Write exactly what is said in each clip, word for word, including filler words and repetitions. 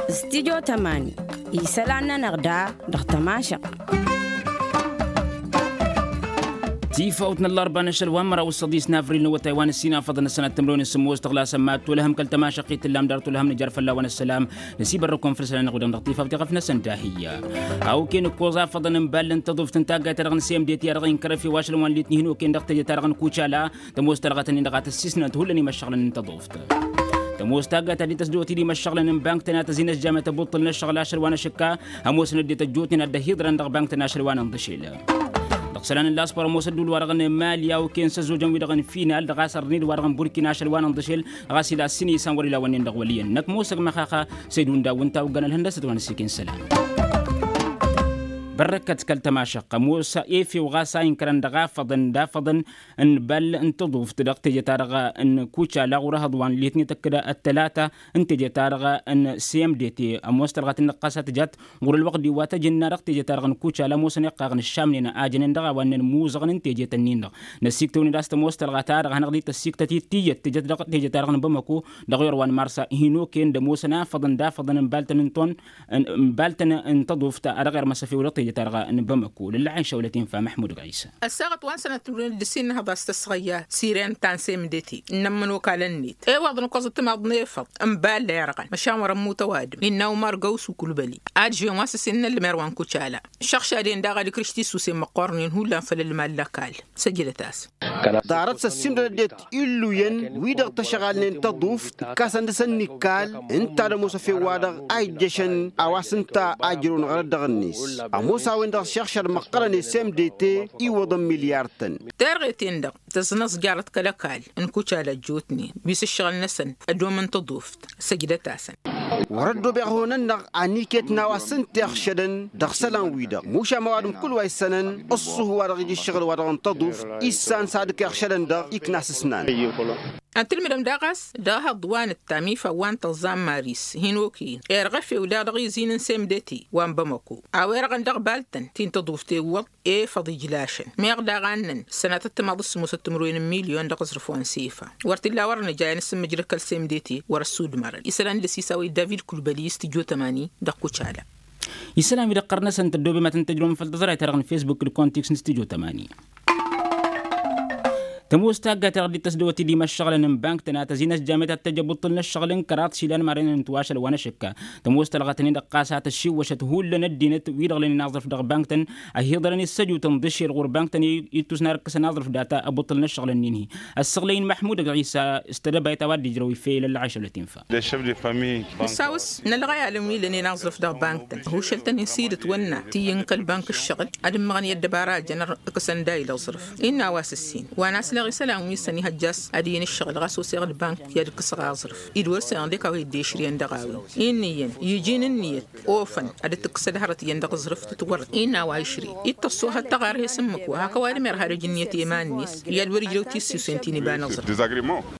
Studyo tămani isălan-nănăɣ da dăɣ-tămašăɣt. Tifawt n-ăllarba n-ašăl wa n-măraw s-săḍis n-avril n-awătay wa n-ăssinafăḍăn ăssanat timrăwen n-sǝmmos tăɣlasăn mad-tulăhăm kăl-tămašăɣt i-tǝllam dar tulăhăm nǝjar fălla-wen ăssălam. Năsibărrăkăm făll-isălan-năɣ-wi-dăɣ dăɣ-tifawt i-ɣăf-năsăn dahiyyă. A okăyăn ǝkkoẓ afăḍăn n-ball n-tăḍuft n-taggayt-ta-dăɣ n-semdet i-ad-dăɣ-inkărăf i-wa ašăl wa n-litni hin-okăyăn dăɣ-teje-ta-dăɣ n-kucala. Tămoos talɣa tăn-in-dăɣ a tăssisnăt hullan imăššăɣlăn n-tăḍuft. Tămoos taggayt ta dd-tăsdăwăt-dd imăššăɣlăn n-bank-tăn a tăzinăt jamăt ăbuṭṭǝl n-ăššăɣǝl ašăl wa n-ašǝkka. Ămoosăn ăddinăt ăjjootnen ad-dd-ăhiḍărăn dăɣ-bank-tăn ašăl wa n-inḍǝšel. Dăɣ-isălan n-laspor ămoos ădduul-wa-dăɣ n-mali a okăyăn s-ăzzojăn-wi-dăɣ n-final dăɣ-a-s ărned-wa-dăɣ n-burkina ašăl wa n-inḍǝšel. Ɣas ila ăssin isan wăr-ila wănnen dăɣ-wăl' iyyăn năkk mosăg măxaxa. Săydu n-daw ǝnta a oggăn ălhăndăsăt wa n-ăssiken isălan. Bărrăkăt kăl-tămašăɣt ămoos efew ɣas a inkărăn dăɣ-afăḍăn d-afăḍăn n-ball n-tăḍuft dăɣ-teje-ta-dăɣ n-kucala ɣur-ehăḍ wa n-litni tăkk-dd ăttălata n-teje-ta-dăɣ n-cmdt. Ămoos tălɣat-in-dăɣ ɣas a tǝjat ɣur-ălwăqq-di wa tăjǝnna dăɣ-teje-ta-dăɣ n-kucala ămoosăn iqqaɣ n-ǝššamnen a jănen dăɣ-a wa ǝnnen muẓăɣăn n-teje-tăn-in-dăɣ. Năssiktăwăn-dd a-s tămoos tălɣa-ta-dăɣ hanăɣ-dd-tăssiktăt i-tiyyăt tǝjăt dăɣ-teje-ta-dăɣ n-bamăko dăɣ-iwăr wa n-mars hin-okăyăn d-ămoosăn afăḍăn d-afăḍăn n-baltăn n-ton n-baltăn n-tăḍuft a dăɣ-irmăs efew dăɣ-teje-ta-dăɣ n-bamăko lăllăɣen šăwlăt infa măḥmud ɣisa. Ăssaɣăt wa n-sănăt timǝrwen d-ǝssin n-ehăḍas tăsɣăyya sirent ta n-semdeti ǝnnămmăn okal-net i-wăḍ n-ǝkkoẓăt timaḍ n-efăḍ n-balla irɣăn măšan wăr-ămmut ăwadǝm innă umar gawsu kulbăli. Adžen wa s-ǝssin n-ălmer wa n-kucala šăɣšad-en daɣ ad-ikrǝš tisusen măqqornen hullan făll-ălmal lăkall. Săjdăt-asăn. Ḍarăt s-ăssiimdăd ăddinăt illuyăn wi-dăɣ tăšɣalnen tăḍuft ǝkkasăn dăɣ-săn n-ikal ǝnta ad-ămoos efew-wa-dăɣ a ijjăšăn a-wa s-ǝnta a ǝjrăwăn ɣărăt dăɣ-net. Ămoos a-wen-dăɣ šăɣšad măqqărăn i-semdete iwwăḍăn milyar-tăn. Terɣet-en-dăɣ tăẓnăẓjarăt kăl-ăkall n-kucala ăjjootnen wi s-ǝššăɣǝl-năsăn ădomăn tăḍuft. Săjdăt-asăn. Wăr-ăddobeɣ ihăwăn-nănăɣ aniket n-a-wa s-ǝnta iɣšădăn dăɣ-isălan-wi-dăɣ mušan ma ăwadǝm kull wa issănăn ǝṣṣuhu wa dăɣ-ija ǝššăɣǝl wa dăɣ-n tăḍuft issan s-ad-ǝkk iɣšădăn-dăɣ ikna s-ǝsnan. Ad-tǝlmǝdăm daɣ a-s dăɣ-ehăḍ wa n-ǝttam ifa wa n-tăẓẓa n-maris hin-okăyăn irɣa efew daɣ dăɣ-izin n-semdeti wa n-bamăko a-wa irɣăn dăɣ-baltăn ti n-tăḍuft ewwăḍ efăḍ ijlašăn meɣ daɣ a ǝnnăn sănatăt timaḍ s-sămoosăt timǝrwen n-milyon dăɣ-aẓrǝf wa n-sefa. Wăr t-illa wăr-nǝja i-nǝsǝmmǝjrăd kăl-semdeti wăr-ăssudmărăn isălan d-ăsisaw i-david kulbăli s-tijot ămani dăɣ-kucala. Isălan wi dăɣ-qărnăsăn tăddoobem ad-tăn-tăjrăwăm făll-tăẓrayt-ta-dăɣ n-facebook d-kontiks n-studio tămani. Tămoos taggayt-ta-dăɣ dd-tăsdăwăt-dd imăššăɣlăn n-bank-tăn a tăzinăt jamăt ad-tăjj abuṭṭǝl n-ăššăɣǝl n-kăraḍ išilan marăynen n-tiwašăl wa n-ašǝkka. Tămoos tălɣătăn-in-dăɣ ɣas a tăššiwwăšăt hullan ăddinăt wi-dăɣ lănen aẓrǝf dăɣ-bank-tăn. Ăhiḍărăn i-săjutăn d-ašel ɣur-bank-tăn i-ittus n-arǝkkăsăn aẓrǝf data abuṭṭǝl n-ăššăɣǝl-nin-hi. Ăssăɣlăy n-măḥmud ăgg-ɣisa s-tedăbayt a-wa dd-ijrăw ifel ăllăɣayšăw lătinfa. Nǝsawǝs n-ălɣăyalăn wi lănen aẓrǝf dăɣ-bank-tăn ăhuššăl-tăn-in s-idǝtwănna ti iyyăn kăl-bank ǝššăɣǝl ad-ǝmmăɣăn i-ăddăbara a jăn ǝkkăsăn dayǝl aẓrǝf. Innă a-wa s-ǝssin wa n-asleɣ isălan wi s-ănihăjja a-s ad-iyyăn ǝššăɣǝl ɣas oseɣ d-bank i-ad-ǝkkǝsăɣ aẓrǝf. Dd-wăr săyăɣ d-ekawăy dd-ešriyăn dăɣ-a-wen. Inn'-iyyăn iji n-ǝnniyăt ofăn ad-dd-tǝkkǝsăd hărăt iyyăn dăɣ-aẓrǝf tǝtwărrăt innă a-wa išri. Dd-tăṣṣohăt taɣarhe s-ǝmmǝk wa hak ăwadǝm irha d-ejǝnniyăt i-iman-net i-ad-wăr-ijrăw tissǝwsen ti n-iba n-aẓrǝf.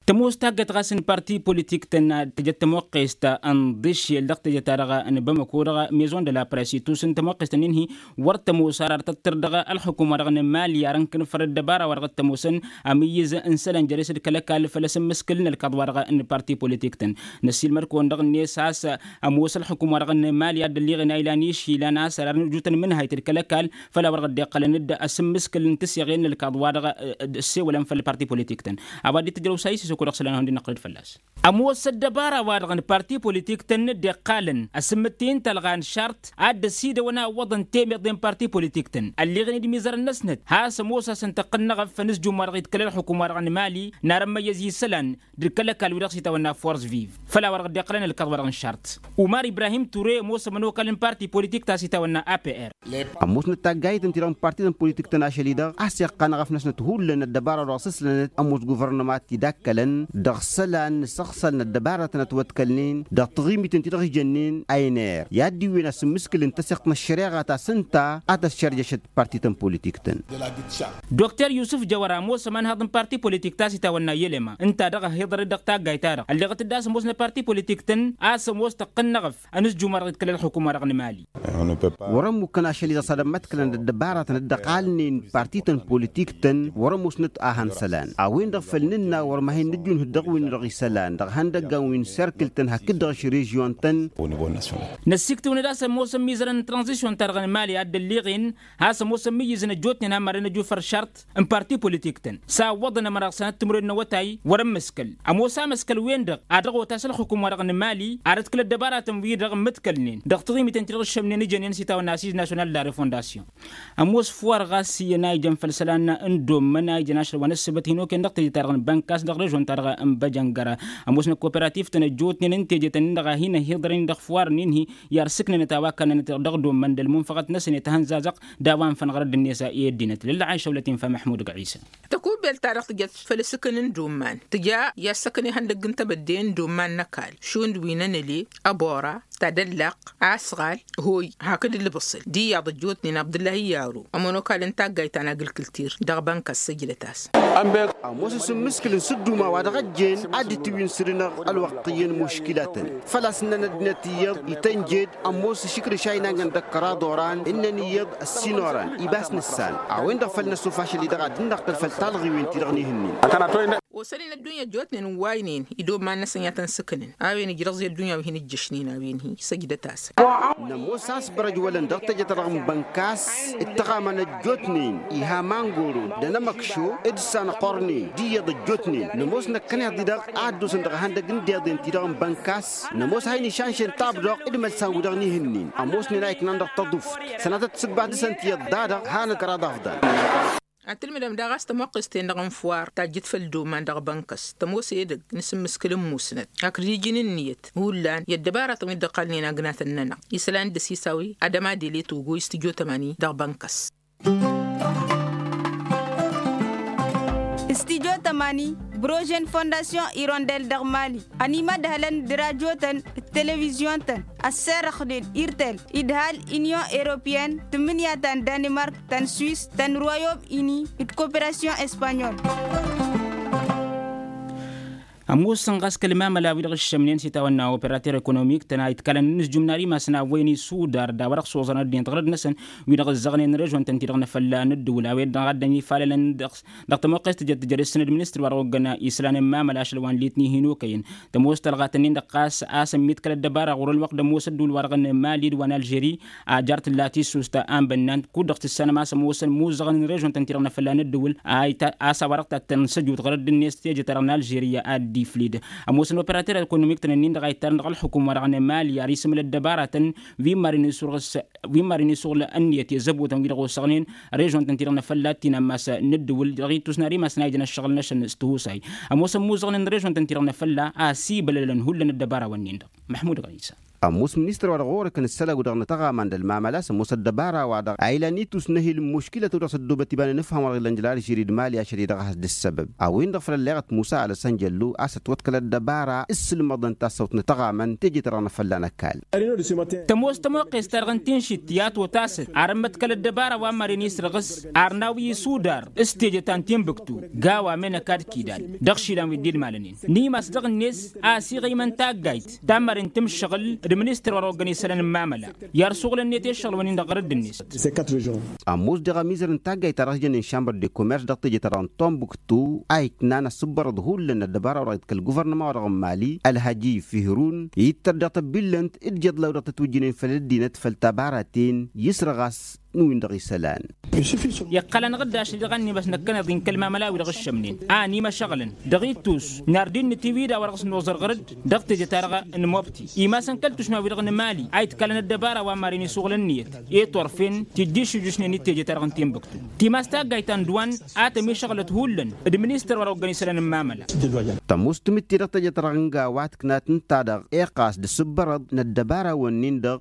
Tămoos taggăt ɣas n-parti politik-tăn tǝjăt tămoqqest n-iḍǝššel dăɣ-teje-ta-dăɣ n-bamăko dăɣ-maison de la press itusǝn tămoqqest-nin-hi. Wăr tămoos ar ar tăttăr dăɣ-ălxukum-wa-dăɣ n-mali ar ǝnkǝn făll-ăddăbara-wa-dăɣ t-ămoosăn amǝyyǝz n-isălan jere-s d-kăl-ăkall făll-asǝmmǝskǝl n-ălkaḍ-wa-dăɣ n-parti politik-tăn. Năssiilmăd-kăwăn dăɣ-net a-s ămoos ălxukum-wa-dăɣ n-mali ad-dd-ălliɣen a ilan išilan a-s ărarăn ǝjutăn mǝnhayt d-kăl-ăkall făll-a-wa-dăɣ dd-iqqălăn d-asǝmmǝskǝl n-tǝseɣen n-ălkaḍ-wa-dăɣ. Ăssewălăn făll-parti politik-tăn a-wa dd-tǝjrăw s-a isisăko dăɣ-isălan a hundăɣ-năqqălăd fălla-s. Ămoos ăddăbara-wa-dăɣ n-parti politik-tăn dd-iqqalăn asǝmmǝttǝy n-talɣa n-šart a dd-ăsidăwăn a ǝwwăḍăn temeḍe n-parti politik-tăn ălliɣen-dd imizărăn-năsnăt has-ămoos a-s ǝntăqqăn n-eɣăf făll-inǝzjum-wa-dăɣ d-kăl-ălxukum-wa-dăɣ n-mali n-arămmăyyăz isălan d-kăl-ăkall wi-dăɣ s-itawănna force vive. Făll-a-wa-dăɣ dd-iqqălăn ălkaḍ-wa-dăɣ n-šart umar ibrahim ture ămoos ămănokal n-parti politik ta s-itawănna apr. Ămoosnăt taggayt ǝnta-i-dăɣ n-parti n-politik-tăn ašăl-i-dăɣ a-s iqqan eɣăf-năsnăt hullan ăddăbara-wa-dăɣ s-ǝslănăt ămoos guvărnăma a t-dd-akkălăn dăɣ-isălan n-asăɣsăl n-ăddăbara-tăn ătwăḍkălnen dăɣ-taɣimit ǝnta-i-dăɣ ijănnen a iner i-ad-dd-iwwen asǝmmǝskǝl n-tasǝɣt n-ăššăreɣa ta s-ǝnta a tăššărjăšăt parti-tăn politik-tăn. Dokter yusǝf jăwăr ămoos ăma. n-hăḍ n-parti politik ta s-itawănna i-elema ǝnta-dăɣ ăhiḍărăd dăɣ-taggayt-ta-dăɣ ălleɣăt-dd a-s ămoos n-parti politik-tăn a-s ămoos tăqqǝnnăɣ-ăf ănǝzjum wa dăɣ-itkăl ălxukum-wa-dăɣ n-mali. Wăr-ămmukăn ašăl-i-dăɣ s-ad-ămmăḍkălăn d-ăddăbaratăn dd-ăqalnen parti-tăn politik-tăn wăr-ămoosnăt a han isălan a-wen-dăɣ făll-nǝnna wăr mahăn nǝjjǝnhǝd dăɣ-wi-dăɣ isălan dăɣ-ihăndăggan wi n-serkǝl-tăn hakd-dăɣ ašăl režyon-tăn. Năssiktǝwnăd a-s ămoosăn mizărăn n-tranzisyon-ta-dăɣ n-mali a dd-ălliɣen a-s ămoosăn mǝyyǝzăn ăjjootnen a mărăn ăjufăr šart n-parti politik-tăn s-a ǝwwăḍăn ămăra sănăt timǝrwen n-awătay wăr-ămmăskăl ămoos amăskăl-wen-dăɣ a dăɣ-otas ălxukum-wa-dăɣ n-mali ad-ǝtkǝl ăddăbaratăn-wi-dăɣ ǝmmǝtkălnen dăɣ-taɣimiten ti-dăɣ ǝššămnen ǝjănen s-itawănna asiz nasyonal d-arefondasyon. Ămoos fuwar ɣas iyyăn a ijăn făll-isălan n-dommăn a ijăn ašăl wa n-ǝssǝbăt hin-okăyăn dăɣ-teje-ta-dăɣ n-bănkas dăɣ-režon-ta-dăɣ n-băjăngăra. Ămoosnăt kooperativ-tăn ăjjootnen n-teje-tăn-in-dăɣ a hin-ăhiḍărăn-in dăɣ-fuwar-nin-hi i-ad-sǝknănăt a-wa kănnănăt dăɣ-dommăn d-ălmunfăɣăt-năsăn i-tahănzazăɣt d-a-wa ǝnfănɣăr ăddinnes i-ăddinăt lălla a išăwlăt infa măḥmud găɣisa. Tăkubelt-ta-dăɣ tǝjăt făll-asǝkǝn n-doman tǝja i-ad-săkăn ihăndăgg n-tebădde n-doman n-ăkall šund wi n-enăle ăbora tadăllaqq asɣal hoy hakd ǝlbǝṣǝl d-iyyăḍ ăjjootnen abdǝllahi yaro ămonokal n-taggayt ta n-agǝlkǝltir dăɣ-bănka s-săjdăt-as. Ămoos asǝmmǝskǝl n-sǝdduma wa dăɣ-ăjjeen ad-dd-tǝwǝy n-săr-năɣ ălwăqq iyyăn muškǝlatăn făl-a-s ǝnnăn ăddinăt iyyăḍ itănjed ămoos ašǝkrǝš a inangăn dăɣ-kăraḍ oran ǝnnăn iyyăḍ ăssin oran ibas n-ǝssan a-wen-dăɣ făl năsuf ašăl-i-dăɣ ad-dd-năqqǝl făll-talɣiwen-ti-dăɣ n-ihǝnnin. Osănen ăddunya ăjjootnen n-waynen idoman-năsăn i-ad-tăn-sǝknǝn a-wen ǝjrăẓ i-ăddunya wi hin-ǝjjăšnen a-wen-hi săjdăt-asăn. Nămoos a-s bărăj wălăn dăɣ-teje-ta-dăɣ n-bănkas d-tăɣamăn ăjjootnen iha mangoro d-anămăkšo d-sanăqorne d-iyyăḍ ăjjootnen nămoos năkkăneḍ-i-dăɣ a ăddoosăn dăɣ-ihăndăgg n-deḍen-ti-dăɣ n-bănkas nămoos a hin-išanšen tabdăɣ d-imălsan-wi-dăɣ n-ihǝnnin ămoosnen a iknan dăɣ-tăḍuft sănatăt tisǝgba dăɣ-săn tiyyăḍ dadăɣ hanăt kăraḍ afḍăn. Ad-tǝlmǝdăm daɣ a-s tămoqqest-en-dăɣ n-fuwar tajjǝt făll-doman dăɣ-bănkăs tămoos edăgg n-asǝmmǝskǝl n-musnăt hakd iji n-ǝnniyăt hullan i-ăddăbaratăn wi dd-ăqqalnen agnatăn-nănăɣ isălan d-ăsisawăy adămadele togo s-tijjo tămani dăɣ-bănkăs. S-tijjo tămani brožen fondasyon irondel dăɣ-mali ănimădhălăn d-rajotăn d-televizyon-tăn ăsserăxnen irtel idhal inyon eropyen tǝmmǝnǝya ta n-danimark ta n-swis ta n-royom ini d-koperasyon espanyol. Ămoosăn ɣas kăl-mamăla-wi-dăɣ ǝššămnen s-itawănna operater ekonomik-tăn a itkalăn n-inǝzjum n-ad-imasăn a ăwwăyăn isudar d-a-wa-dăɣ s-oẓărăn ăddinăt ɣărăd-năsăn wi-dăɣ ǝzzăɣnen režon-tăn-ti-dăɣ n-afălla n-ǝddǝwǝl a-wen-dăɣ a dd-ănifalălăn dăɣ-s dăɣ-tămoqqes tǝjăt tǝjăr-s n-administr wa dăɣ-oggăn islan n-mamăla ašăl wa n-litni hin-okăyăn tămoos tălɣatăn-in-dăɣ ɣas a-s ămmiḍkăl ăddăbara ɣur-ălwăqq d-ămoos ădduul-wa-dăɣ n-mali d-wa n-alžeri a jar tǝlla tissust a n-bănnan kud-dăɣ tǝssanăm a-s ămoosăn muẓẓăɣăn n-režon-tăn-ti-dăɣ n-afălla n-ǝddǝwǝl a-s a-wa-dăɣ tattăn săjut ɣărădd-net teje-ta-dăɣ n-alžeriya ad-dd-iflid. Ămoosăn operater ekonomik-tăn-ǝnnin-dăɣ a ittărăn dăɣ-ălxukum-wa-dăɣ n-mali ar isǝmǝl ăddăbaratăn wi n-marăn isurɣǝs wi n-marăn isuɣǝl ǝnniyăt i-ăzzăbotăn wi-dăɣ osăɣnen režon-tăn-ti-dăɣ n-afălla ăttinammas n-ǝddǝwǝl dăɣ-ittus n-ad-imasăn a ijăn ăššăɣǝl-năsăn s-tihusay. Ămoosăn muẓăɣnen režon-tăn-ti-dăɣ n-afălla a ăsibălălăn hullan ăddăbara-wăn-nin-dăɣ. Măḥmud ɣisa. Ămoos ministăr-wa-dăɣ ɣur-ǝkăn ǝssălăw dăɣ-nǝtăɣaman d-ălmamăla a-s ămoos ăddăbara-wa-dăɣ a ilan itus n-ehil n-muškilăt-wi-dăɣ s-ăddoobăt iba n-inǝfham wa dăɣ-illăn jăr alžeri d-mali ašăl-i-dăɣ a has-dd-ǝssăbăb a-wen-dăɣ făll-ălleɣăt musa alăsăn jăllu a-s ătwăḍkăl ăddăbara s-sǝlmăḍăn tassăwt n-atăɣamăn teje-ta-dăɣ n-afălla n-ăkall. Tămoos tămoqqes-ta-dăɣ n-tinšit i-ad-t-otasăt ar ămmăḍkăl ăddăbara wa n-maren isrăɣǝs ar n-awi isudar s-teje ta n-tinbǝktu gawa menăk ad-kidal dăɣ-išilan wi dd-idmalăn-in n-imas dăɣ-net a ăsiɣăymăn taggayt ta n-maren tǝmšăɣǝl d-ministăr wa dăɣ-oggăn isălan n-mamăla i-ad-suɣǝlăn-net i-ăššăɣǝl-wăn-in dăɣ-ɣărădd-net. Ămoos deɣ ămizăr n-taggayt-ta-dăɣ s-jănnen šambăr de komers dăɣ-teje-ta-dăɣ n-tombuktu a iknan asǝbbărăḍ hullan ăddăbara-wa-dăɣ iḍkăl guvărnăma-wa-dăɣ n-mali ălhăji fihrun ittăr dăɣ-tăbbillănt d-ijeḍla-wi-dăɣ tătwǝjjǝnen făll-ăddinăt făll-tabaratăn i-isrăɣas n-win-dăɣ isălan. Iqqăl-anăɣ-dd ašăl-i-dăɣ ănnimas năkkăneḍ-in kăl-mamăla-wi-dăɣ ǝššămnen a ănimăšăɣlăn dăɣ-ittus n-ar dd-innǝt iwid a-wa dăɣ-s noẓăr ɣăr-dd dăɣ-teje-ta-dăɣ n-mobti imasăn kăl-tušma-wi-dăɣ n-mali a iḍkalăn ăddăbara wa n-maren isuɣǝl ǝnniyăt i-turfen tijjǝššǝjjǝšnen i-teje-ta-dăɣ n-tinbǝktu timas taggayt ta n-duwan a tămišăɣlăt hullan d-ministăr wa dăɣ-oggăn isălan n-mamăla. Tămoos timǝtte dăɣ-teje-ta-dăɣ n-gawa tǝknat ǝnta-dăɣ iqqas d-asǝbbărăḍ n-ăddăbara-wăn-nin-dăɣ.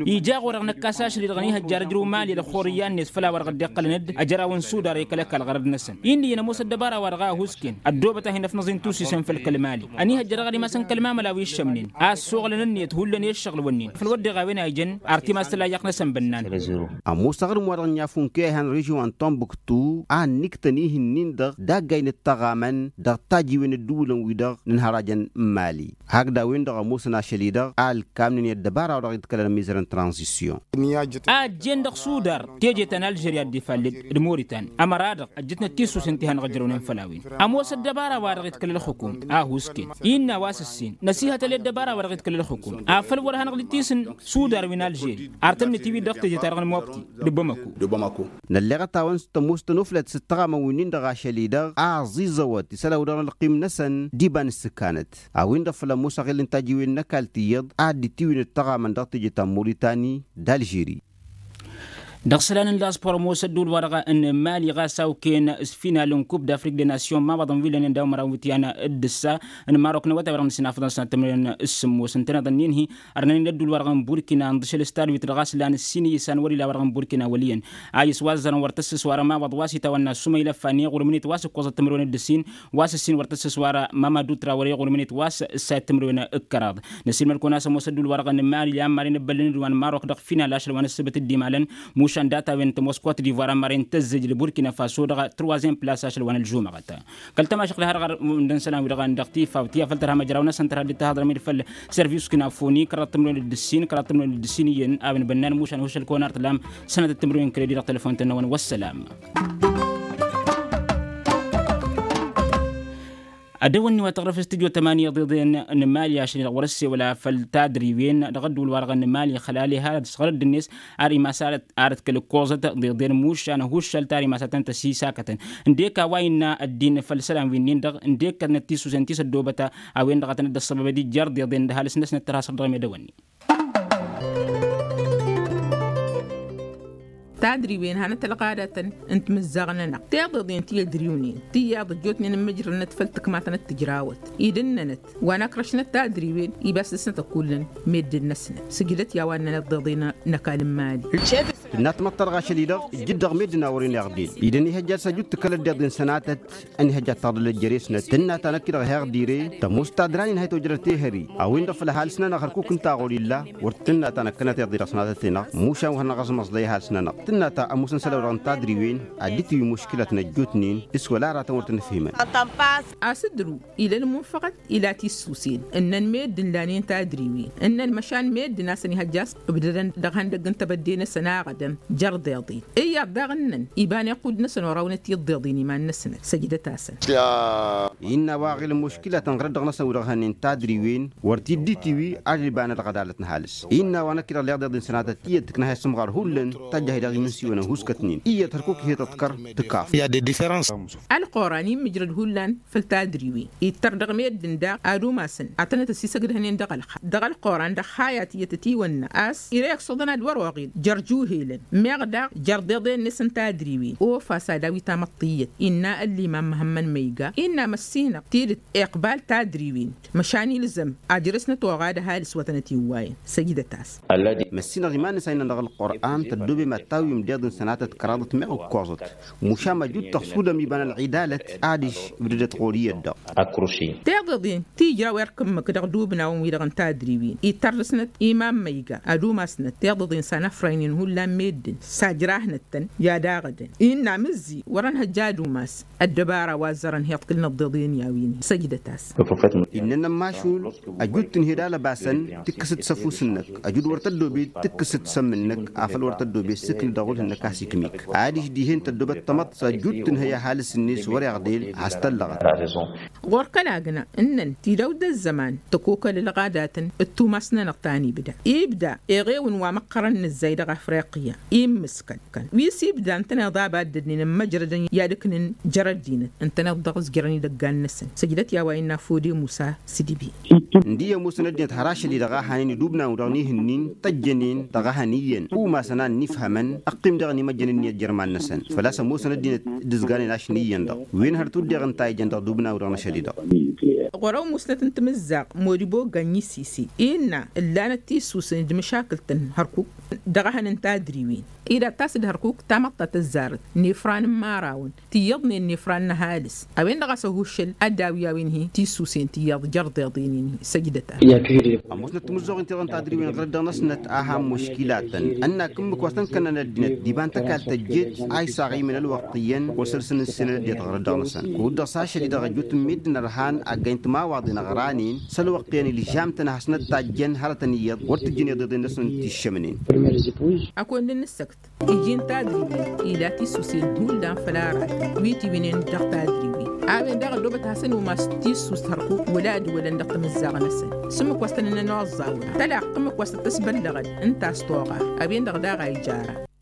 Ija ɣur-dăɣ năkkas ašăl-i-dăɣ n-ihăjjar ǝjrǝw mali. Ălxurǝyya-net făll-a-wa-dăɣ dd-iqqălăn d-ajăraw n-sudar i-kăl-ăkall ɣărăd-năsăn. Indi-năn ămoos ăddăbara-wa-dăɣ a husken ăddoobăt a hin-ăfnăẓ-in tusisen făll-kăl-mali. Ăniihăjja daɣ ad-imasăn kăl-mamăla wi ǝššămnen a ăssoɣlăn ǝnniyăt hullan i-ǝššăɣǝl-wǝnnin făll-wădden a-wen a ijăn artimas tălayyaɣt-năsăn bǝnnan. Ămoos aɣrǝm-wa-dăɣ n-iyyăf unke a ihan režion n-tombuktu a ǝnniktăn ihǝnnin-dăɣ d-aggaynet tăɣamăn dăɣ-tajiwen ǝddǝwǝlăn-wi-dăɣ n-ǝnhărajăn n-mali. Hakd a-wen-dăɣ ămoosăn ašăl-i-dăɣ a ălkamnen i-ăddăbara-wa-dăɣ iḍkălăn ămizărăn tranzisyon. A ăjjeen dăɣ-sudar teje ta n-alžerya dd-ifalled d-moritan ămăra-dăɣ ăjjătnăt tisusen ti hanăɣ-ǝjrăwnen făll-a-wen. Ămoos ăddăbara-wa-dăɣ iḍkăl ălxukum a husken innă a-wa s-ǝssin năsihătăl i-ăddăbara-wa-dăɣ iḍkăl ălxukum afăl wăr hanăɣ-dd-tisǝn sudar wi n-alžeri. Ar tănnăt iwi-dăɣ teje-ta-dăɣ n-mobti d-bamako. Nălleɣăt-awăn s-tămoos tănoflăt s-ăttăɣamăn wi-nin-dăɣ ašăl-i-dăɣ a ăẓiẓăwăt isălan-wi-dăɣ n-ălqim-năsăn d-iba n-ǝssǝkanăt. A-wen-dăɣ făl ămoos aɣil n-tajiwen n-ăkall tiyyăḍ a dd-itiwǝynăt tăɣamăn dăɣ-teje ta n-moritani d-alžeri. Dăɣ-isălan n-laẓpur ămoos ădduul-wa-dăɣ n-mali ɣas a okăyăn s-final n-kup d-afrik de nasyon mawaḍăn wi lănen daw-măraw n-iwǝtyan d-ǝssa n-marok n-awătay-wa-dăɣ n-ǝssin afăḍăn sănat timǝrwen s-sǝmmos ǝntăneḍ ănnin-hi. Ărnănen ădduul-wa-dăɣ n-burkina ǝnḍǝšăl s-tadwit dăɣ-aslan ǝssin iyyăs a n-wăr-ila wa-dăɣ n-burkina wăl' iyyăn a iswazzărăn wăr tăssǝs wa rămawaḍ wa s-itawănna s-umăy lăffa n-iɣurǝm-net wa s-ǝkkoẓăt timǝrwen d-ǝssin wa s-ǝssin wăr tăssǝs wa rămamadu trawăre iɣurǝm-net wa s-ǝssayăt timǝrwen d-kăraḍ. Năsiilmăd-kăwăn a-s ămoos ădduul-wa-dăɣ n-mali a n-maren ǝbbăllăn-dd wa n-marok dăɣ-final ašăl wa n-ǝssǝbăt dd-imalăn mušan data-wen tămoos kot divoir a n-maren tăzzǝj d-burkina faso dăɣ-trăwazem plas ašăl wa n-ălžumăɣăt. Kăl-tămašăɣt dăɣ-har ɣărmǝndăn isălan-wi-dăɣ a n-dăɣ tifaw ti afăl tărha măjraw-năsăn tărha dd-tahăḍrăm-dd făll-service kinafoni kăraḍ timǝrwen d-ǝssin kăraḍ timǝrwen d-ǝssin iyyăn a-wen bănnan mušan hušăl kăwăn ar tǝlam sănătăt timǝrwen kăle-di dăɣ-telefon-tăn-năwăn wăssălam. Ad-dăwănni wa tăɣrăf s-tǝjot ămani iḍeḍen n-mali ašăl-i-dăɣ wăr-ăssewăla făll-tadriwen dăɣ-ădduul-wa-dăɣ n-mali xălale har ad-săɣrăd-net ar imas arăt kăl-ǝkkoẓăt d-iḍen mušan ăhuššăl tar imas ad-tăn-tăsisakătăn. Ǝndek a-wa innă ăddin făll-isălan wi-nin-dăɣ ǝndek kătnăt tisusen ti s-ăddoobăt a-wen-dăɣ a tăn-dd-ăṣṣăbăbăd ijjar d-iḍen d-ăhalǝs-năsnăt tărha săr-dăɣ medăwănni. Tadriwen hanăt-ălɣadatăn n-timǝzzaɣ-nănăɣ tiḍeḍen ti ădriwnen tiyyăḍ ăjjootnen n-imǝjrălnăt făll-tǝkmatăn d-tǝjrawăt idǝnnănăt wa n-akrăšnăt tadriwen ibas dăr-snăt ăkullăn meddǝn-năsnăt sǝjdăt i-a-wa ǝnnănăt tiḍeḍen n-ăkall n-mali. Tǝnna tamăḍt ta dăɣ-ašăl-i-dăɣ ǝjjǝd dăɣ-meddǝn a wăren iɣdel idăn ihăjja ad-săjut tǝkkălăt d-iḍen sănatăt ănihăjja ad-taḍǝlăt jere-snăt tǝnna ta năkk-i-dăɣ heɣdire tămoos tadra n-inhăy tojrăt ehări a-wen-dăɣ făll-ăhalǝs-nănăɣ hărkuk ǝnta a ɣur-illa wăr tǝnna ta năkkănăt iḍe dăɣ-sănatăt-i-năɣ mušan wa hanăɣ-ăẓmăẓlăy ăhalǝs-nănăɣ tǝnna ta ămoosăn isălan-wi-dăɣ n-tadriwen ad-dd-tiwǝy muškǝlăt n-ăjjootnen s-wăla aratăn wăr tăn-ǝfhimăn. A-s ǝdrǝw ila ălmunfăɣăt ila tissusen ǝnnăn meddǝn lanen tadriwen ǝnnăn măšan meddǝn a-s ănihăjja a-s ǝbdădăn dăɣ-ihăndăgg n-tebădde-năsăn aɣădăm jer-iḍeḍen iyyăḍ daɣ ǝnnăn iba n-iqud-năsăn orawnăt i-iḍeḍen iman-năsnăt săjdăt-asăn. Innă a-wa ăɣilăn muškǝla tănɣărăt dăɣ-năsăn wi-dăɣ hănen tadriwen wăr t-dd-itiwi ad-iba n-ălɣădalăt n-ăhalǝs innă a-wa năkk-i-dăɣ leɣ d-iḍen sănatăt tiyyăt tǝknăhăy s-ămɣar hullan tajjăh-i-dăɣ imǝnsiwăn ăhuskătnen iyyăt hărkuk ihi tăḍkăr tǝkaf. Ălqoran immǝjrăd hullan făll-tadriwen ittăr dăɣ-meddǝn daɣ ad-umasăn ad-tănăt-ăsisăgdăhnen dăɣ-ălxayăt dăɣ-ălqoran dăɣ-haya tiyyăt ătiwănna a-s ire iksăḍăn ad-wăr-oɣil jer-juhelen meɣ daɣ jer-deḍen-net n-tadriwen ofa s-ad-awi tamăḍt tiyyăt innă ăllimam măhămmăn măyga innă măssinăɣ tidǝt iqbal tadriwen măšan ilzăm ajrăsnăt oɣad ăhalǝs wa tănăt-iwwayăn săjdăt-as. Măssinăɣ iman-năs a innăn dăɣ-ălqur'an tăddobem ad-tawim d-iḍǝn sănatăt kăraḍăt meɣ ǝkkoẓăt mušam ăjut tăɣsudăm iba n-ălɣidalăt adiš ǝbdădăt ɣur-iyyăt-dăɣ. Tiḍeḍen ti ijraw erk ǝmmǝk dăɣ-idubnawăn-wi-dăɣ n-tadriwen ittăr dăr-snăt iman măyga ad-umasnăt tiḍeḍen s-anăfraynen hullan meddǝn s-ajrahnăt-tăn i-ad-aɣădăn innă amǝzzi wăr-ănhăjja ad-umas ăddăbara wa ăzzărăn hi-iḍkǝlnăt d-iḍen i-a-wen-hi săjdăt-as. Innă ănămmašul ăjut tǝnhed alăbasăn tǝkkǝsăt s-ăfuss-năk ăjut wăr tăddoobed tǝkkǝsăt s-ămm-năk afăl wăr tăddoobed s-ǝknǝd dăɣ-wălh-năk a-s ikm'-ik adiš dihen tăddoobăt tamăḍt s-ăjut tǝnhăy ăhalǝs-net wăr-iɣdel has-tăllăɣăt. Ɣur-kăl-agna ǝnnăn tidawt d-ăzzăman tăkokăl ălɣadatăn d-tumas-nănăɣ ta n-ibda ibda eɣewǝn wa măqqărăn nǝzzay dăɣ-afriqya immǝskăn wi s-ibda ǝntăneḍ a baddădnen ămmăjrădăn i-ad-ǝknǝn jer-ăddinăt ǝntăneḍ dăɣ-s jărăn idăggan-năsăn săjdăt i-a-wa innă fode musa s-dibi. Ǝndi i-ămoosăn ăddinăt har ašăl-i-dăɣ a hanen idubnan-wi-dăɣ n-ihǝnnin tăjjănen dăɣ-ehăn iyyăn umasăn a ănnifhămăn ăqqim daɣ n-imăjjăn ǝnniyăt jer-iman-năsăn făl-a-s ămoosăn ăddinăt d-ǝzganen ašni iyyăn-dăɣ wen hărăt wădden ǝnta a ijăn dăɣ-idubnan-wi-dăɣ n-ašăl-i-dăɣ. Ɣur-ăwmusnăt n-timǝzzaɣt modibo ganyi sisi innă ǝllanăt tissusen d-măšakǝlt n-hărkuk dăɣ-ehăn n-tadriwen. Ila tas-dd hărkuk tamăḍt ta tăzzarăt n-efran n-imărawăn tiyyăḍnen n-efran n-ăhalǝs a-wen-dăɣ a-s ăhuššăl ad-dd-awi a-wen-hi tissusen tiyyăḍ jărdeḍen-in-hi. Săjdăt-a. Ămoosnăt timǝzzoɣin tiyyăḍ n-tadriwen ɣur-dd-dăɣ-năsnăt a han muškilatăn ănn-ak ǝmmǝk wa s-tăn-kănnăn ăddinăt d-iba n-tăkalt tăjjeet a isaɣ imen ălwăqq iyyăn wa săr-săn ǝssinăn ăddinăt ɣur-dd-dăɣ-năsăn. Kud-dăɣ s-ašăl-i-dăɣ ăjut n-meddǝn ărhan ăggay n-timawaḍen ăɣranen s-ălwăqq iyyăn ilžam-tăn ad-hasnăt-tajjăn hărătăn iyyăḍ wăr tǝjjǝn iḍeḍen-năsăn d-tiššămnen. Ăkall n-ǝssăkt iji n-tadribin ila tissusen hullan făl aratăn wi tiwǝynen dăɣ-tadribin. A-wen daɣ ăddoobăt ad-hasăn-umas tissust hărkuk wăla ad-wălăn dăɣ-timǝzzaɣ-năsăn s-ǝmmǝk wa s-tăn-ănn ănoẓẓawăn tălaqq ǝmmǝk wa s-tăt-tăsbăllăɣăd n-ta s-toɣa. A-wen-dăɣ daɣ a ijara.